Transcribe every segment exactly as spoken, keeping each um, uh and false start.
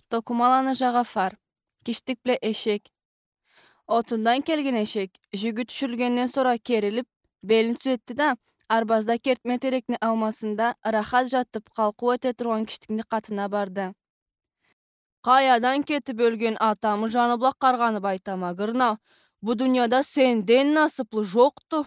Токумаланы Жагафар. Киштик бла эшек. Отундан келген эшек жюгю тюшюрюлгенден сора керилип, белин тюзетди да, арбазда кертме терекни аумасында ырахат жатып, къалкъыу эте тургъан киштикни къатына барды. Къаядан кетип ёлген атамы жаны бла къаргъанып айтама, гырнау, бу дунияда сенден насыплы жокъду.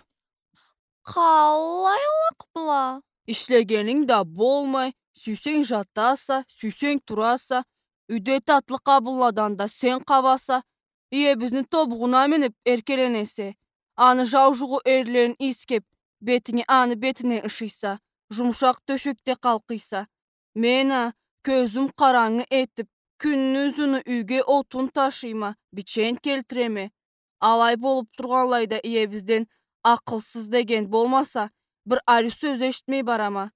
Къалайлыкъ бла? Ишлегенинг да болмай, сюйсенг жатаса, сюйсенг тураса, юйде татлы къабынладан да сен къабаса, иебизни тобугъуна минип эркеленесе, аны жау жугъу эрлерин ийискеп, бетинги аны бетинден ышыйса, жумушакъ тёшекде къалкъыйса. Мен а кёзюм къарангы этип, кюнню узуну юйге отун ташыйма, бичен келтиреме. Алай болуп тургъанлайда иебизден акъылсыз деген болмаса, бир ариу сёз эшитмей барама.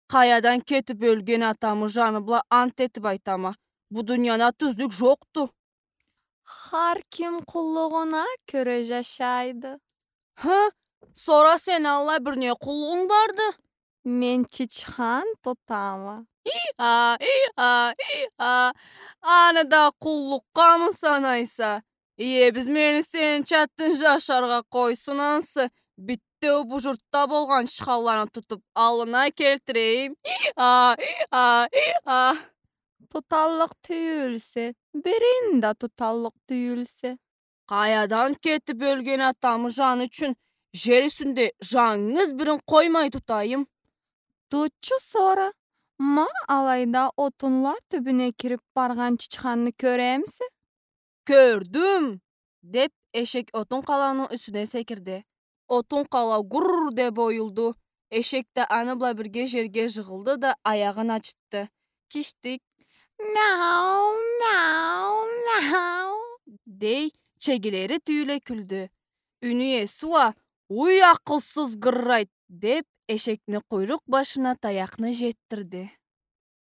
Къаядан кетип ёлген атамы жаны бла ант этип айтама, бу дунияда тюзлюк жокъду. Хар ким къуллугъуна кёре жашайды. Хы? Сора сени аллай бир не къуллугъунг барды? Мен чычхан тутама. И-а, и-а, и-а. Аны да къуллукъгъамы санайса? Иебиз мени сени чатынг жашаргъа къойсун ансы. Битеу бу журтда болгъан чычханланы тутуп, аллына келтирейим. И-а, и-а, и-а. Туталлыкъ тюйюлсе, бирин да туталлыкъ тюйюлсе. Къаядан кетип ёлген атамы жаны ючюн жер юсюнде жангыз бирин къоймай тутайым. Тутчу сора, ма алайда отунла тюбюне кирип баргъан чычханны кёремисе? Кёрдюм! — деп, эшек отун къалауну юсюне секирди. Отун къалау гурр деп оюлду. Эшек да аны бла бирге жерге жыгъылды да, аягъын ачытды. Киштик: «Мяу, мяу, мяу», — дей, чегилери тюйюле кюлдю. Юйню иеси уа: «Уй, акъылсыз гыррайт», — деп, эшекни къуйрукъ башына таякъны жетдирди.